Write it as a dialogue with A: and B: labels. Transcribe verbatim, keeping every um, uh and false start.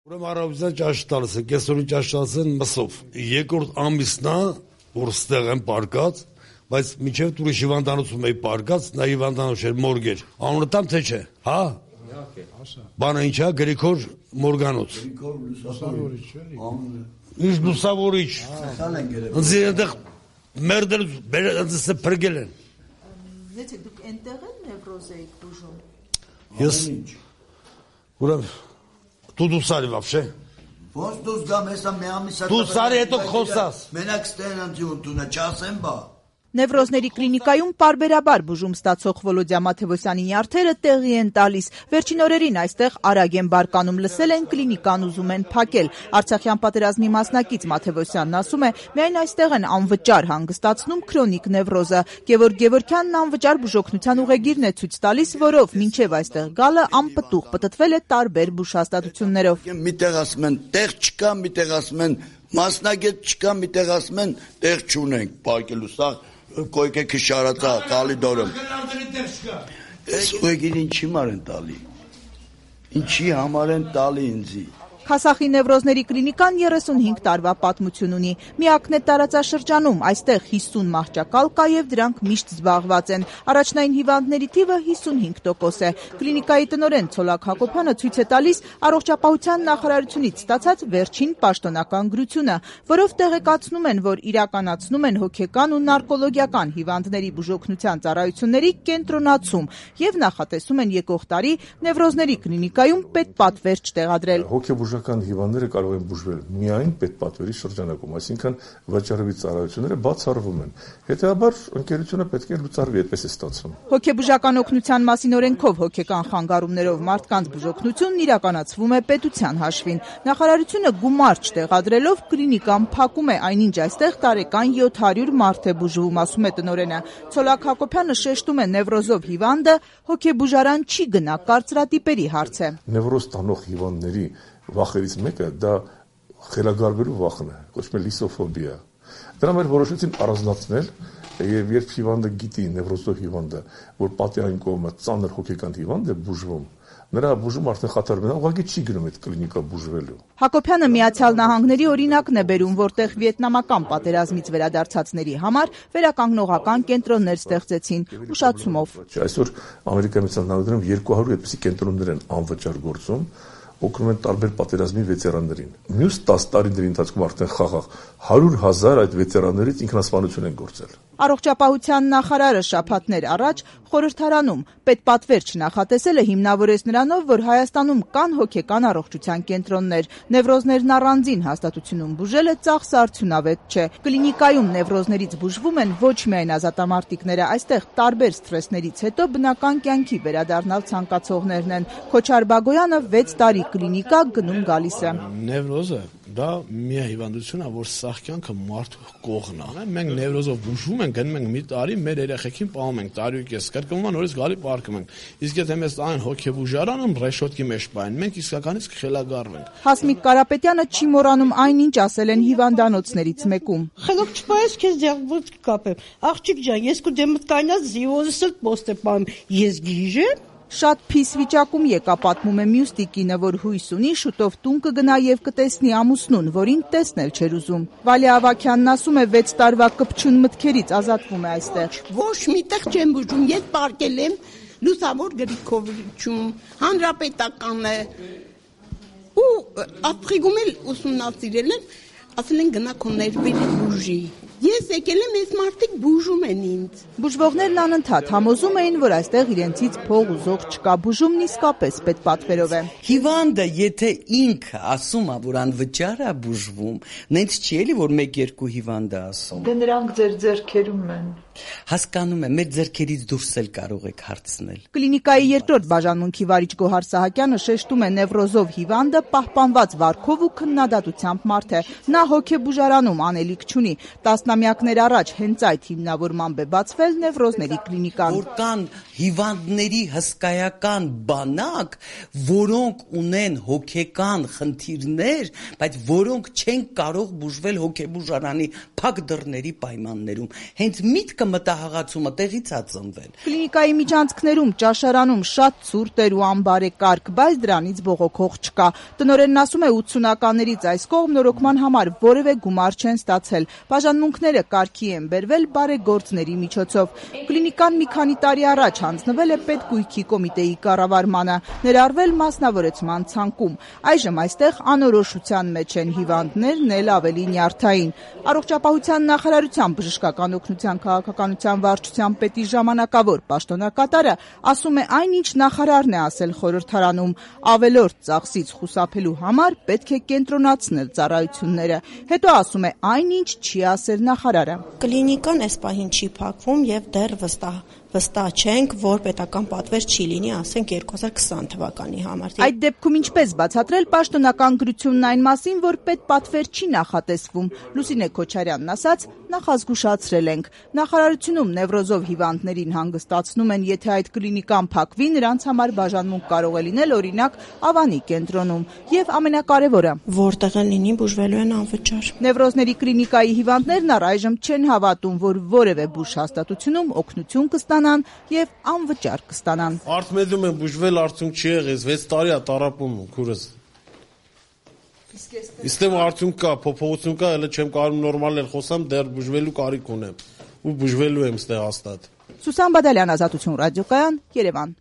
A: Ուրեմն առավոտյան ճաշ տալիս են, կեսօրին ճաշ տալիս են մսով։ Երկրորդ ամիսն է, որ ստեղ են պարկած, բայց մինչև դուրս հիվանդանոցում էի պարկած, նա հիվանդանոց էր մորգեր։ Անունը տամ թե չէ, հա։ Բանը ինչ է, Գրիգոր Մորգանոց։ Ինչ լուսավորիչ։ Ինձ այնտեղ մերդել, ինձ փրկել են։
B: Դե դուք այնտեղ են նևրոզ եք բուժում։
A: Ես ուրեմն Դու դուսարի վավշե։
C: Ոնց դուս գամ հեսա մի ամիսա։
A: Դուսարի հետո խոսաս։
C: Մենակ ստեն անտյուն տունը չասեմ բա։
B: Նևրոզների կլինիկայում պարբերաբար բուժում ստացող Վոլոդյա Մաթևոսյանի նյարդերը տեղի են տալիս։ Վերջին օրերին այստեղ արագ են բարկանում, լսել են կլինիկան ուզում են փակել։ Արցախյան պատերազմի մասնակից Մաթևոսյանն ասում է, միայն այստեղ են անվճար հանգստացնում քրոնիկ նևրոզը։ Գևորգ Գևորգյանն անվճար բուժօգնության ուղեգիրն է ցույց տալիս, որով մինչև այստեղ գալը անպտուղ պտտվել է տարբեր բուժհաստատություններով։
C: Միտեղ ասում են տեղ չկա, միտեղ ասում են մասնագետ չկա, միտեղ ասում են տեղ չունենք, պարկելու սա Կոյկե քշարածա տալի դորում։ Այս ուղեգիր ինչի մար են տալի։ Ինչի համար են տալի ինձի։
B: Քասախի նևրոզների կլինիկան երեսունհինգ տարվա պատմություն ունի։ Միակն է տարածաշրջանում, այստեղ հիսուն մահճակալ կա եւ դրանք միշտ զբաղված են։ Առաջնային հիվանդների թիվը հիսունհինգ տոկոս է։ Կլինիկայի տնօրեն Ցոլակ Հակոբյանը ցույց է տալիս առողջապահության նախարարությունից ստացած վերջին պաշտոնական գրությունը, որով տեղեկացնում են, որ իրականացնում են հոգեկան ու նարկոլոգիական հիվանդների բուժօգնության ծառայությունների կենտրոնացում եւ նախատեսում են եկող տարի նևրոզների կլինիկայում պետպատվեր չտեղադրել։
D: Հոգեբուժական հիվանդները կարող են բուժվել միայն պետպատվերի շրջանակում, այսինքն վաճառովի ծառայությունները բացառվում են։ Հետևաբար ընկերությունը պետք է լուծարվի, այդպես է ստացվում։
B: Հոգեբուժական օգնության մասին օրենքով հոգեկան խանգարումներով մարդկանց բուժօգնությունն իրականացվում է պետության հաշվին։ Նախարարությունը գումար չտեղադրելով կլինիկան փակում է, այնինչ այստեղ տարեկան յոթ հարյուր մարդ է բուժվում, ասում է տնօրենը։ Ցոլակ Հակոբյանը շեշտում է նևրոզով հիվանդը հոգեբուժարան չի գնա, կարծրատիպերի հարց է։
D: Նևրոզ տանող հիվանդների վախերից մեկը դա խելագարվելու վախն է, կոչվում է լիսոֆոբիա։ Դրա մեր որոշեցին առանձնացնել եւ երբ հիվանդը գիտի նևրոզով հիվանդը, որ պատի այն կողմը ծանր հոգեկան հիվանդ է բուժվում, նրա բուժումը արդեն խաթարվում է, ուղղակի չի գնում այդ կլինիկա բուժվելու։
B: Հակոբյանը Միացյալ Նահանգների օրինակն է բերում, որտեղ վիետնամական պատերազմից վերադարձածների համար վերականգնողական կենտրոններ ստեղծեցին ուշացումով։
D: Այսօր Ամերիկայի Միացյալ Նահանգներում երկու հարյուր այդպիսի կենտրոններ են անվճար գործում, օգնում են տարբեր պատերազմի վետերաններին։ Մյուս տասը տարիների ընթացքում արդեն խաղաղ հարյուր հազար այդ վետերաններից ինքնասպանություն են գործել։
B: Առողջապահության նախարարը շաբաթներ առաջ խորհրդարանում պետպատվեր չնախատեսելը հիմնավորեց նրանով, որ Հայաստանում կան հոգեկան առողջության կենտրոններ։ Նևրոզներն առանձին հաստատությունում բուժելը ծախսարդյունավետ չէ։ Կլինիկայում նևրոզներից բուժվում են ոչ միայն ազատամարտիկները, այստեղ տարբեր սթրեսներից հետո բնական կյանքի վերադառնալ ցանկացողներն են։ Քոչար Բագոյանը վեց տարի կլինիկա գնում գալիս է։
E: Նևրոզը դա մի հիվանդություն է, որ սաղ կյանքը մարդու կողն է։ Մենք նևրոզով բուժվում ենք, գնում ենք մի տարի, մեր երեխեքին պահում ենք, տարի ու կես, կրկնվում նորից գալի պարկում ենք։ Իսկ եթե մեզ այն հոգեբուժարանում ռեշոտկի մեջ պահեն, մենք իսկականից կխելագարվենք։
B: Հասմիկ Կարապետյանը չի մոռանում այնինչ ասել են հիվանդանոցներից մեկում։
F: Խելոք չպայես քեզ դեղբոց կկապեմ։ Աղջիկ ջան, ես քո դեմդ կայնած զիոզս էլ պոստը պահեմ, ես գիժեմ։
B: Շատ փիս վիճակում եկա, պատմում է մյուս տիկինը, որ հույս ունի շուտով տուն կգնա եւ կտեսնի ամուսնուն, որին տեսնել չէր ուզում։ Վալե Ավագյանն ասում է վեց տարվա կպչուն մտքերից ազատվում է այստեղ։
F: Ոչ միտեղ չեմ բուժում, ես պարկել եմ Լուսավոր Գրիգորովիչում, հանրապետականը։ Ու ապրիգում էլ ուսումնասիրել են, ասել են գնա քո ներվերը բուժի։ Ես եկել եմ, այս մարդիկ բուժում են ինձ։
B: Բուժվողներն անընդհատ համոզում էին, որ այստեղ իրենցից փող ուզող չկա, բուժումն իսկապես պետպատվերով է։
G: Հիվանդը, եթե ինքը ասում է, որ անվճար է բուժվում, նենց չի էլի, որ մեկ-երկու հիվանդ է ասում։
H: Դե նրանք ձեր ձեռքերում են։
G: Հասկանում եմ, մեր ձեռքերից դուրս էլ կարող եք հարցնել։
B: Կլինիկայի երկրորդ բաժանմունքի վարիչ Գոհար Սահակյանը շեշտում է նևրոզով հիվանդը պահպանված վարքով ու քննադատությամբ մարդ է։ Նա հոգեբուժարանում անելիք չունի։ Տասնամյակներ առաջ հենց այդ հիմնավորմամբ է բացվել նևրոզների կլինիկան։
G: Որ կան հիվանդների հսկայական բանակ, որոնք ունեն հոգեկան խնդիրներ, բայց որոնք չեն կարող բուժվել հոգեբուժարանի փակ դռների պայմաններում։ Հենց միտքը մտահղացումը տեղից է ծնվել։
B: Կլինիկայի միջանցքներում, ճաշարանում շատ ցուրտ էր ու անբարեկարգ, բայց դրանից բողոքող չկա։ Տնօրենն ասում է ութսունականներից այս կողմ նորոգման համար որևէ գումար չեն ստացել։ Բաժանմունքները կարգի են բերվել բարեգործների միջոցով։ Կլինիկան մի քանի տարի առաջ հանձնվել է պետգույքի կոմիտեի կառավարմանը, ներառվել մասնավորեցման ցանկում։ Այժմ այստեղ անորոշության մեջ են հիվանդներն էլ ավելի նյարդային։ Առողջապահության նախարարության բժշկական օգնության քաղաքականության վարչության պետի ժամանակավոր պաշտոնակատարը ասում է այնինչ նախարարն է ասել խորհրդարանում, ավելորդ ծախսից խուսափելու համար պետք է կենտրոնացնել ծառայությունները։ Հետո ասում է այնինչ չի ասել նախարարը։
I: Կլինիկան այս պահին չի փակվում եւ դեռ վստահ վստահ չենք, որ պետական պատվեր չի լինի, ասենք երկու հազար քսան թվականի համար։
B: Այդ դեպքում ինչպես բացատրել պաշտոնական գրությունն այն մասին, որ պետպատվեր չի նախատեսվում։ Լուսինե Քոչարյանն ասաց, նախազգուշացրել ենք։ Նախարարությունում նևրոզով հիվանդներին հանգստացնում են, եթե այդ կլինիկան փակվի, նրանց համար բաժանմունք կարող է լինել օրինակ Ավանի կենտրոնում։ Եվ ամենակարևորը,
I: որտեղ են լինի բուժվելու են անվճար։
B: Նևրոզների կլինիկայի հիվանդներն առայժմ չեն հավատում, որ որևէ բուժ հաստատությունում օգնություն կստանան եւ անվճար կստանան։
E: Արտմեդում են բուժվել, արդյունք չի եղել, վեց տարի է տարապում քուրս։ Իստեմ արդյունք կա, փոփոխություն կա, հələ չեմ կարող նորմալ էլ խոսամ, դեռ բուժվելու կարիք ունեմ ու բուժվելու եմ ստե հաստատ։
B: Սուսան Բադալյան, Ազատություն ռադիոկայան, Երևան։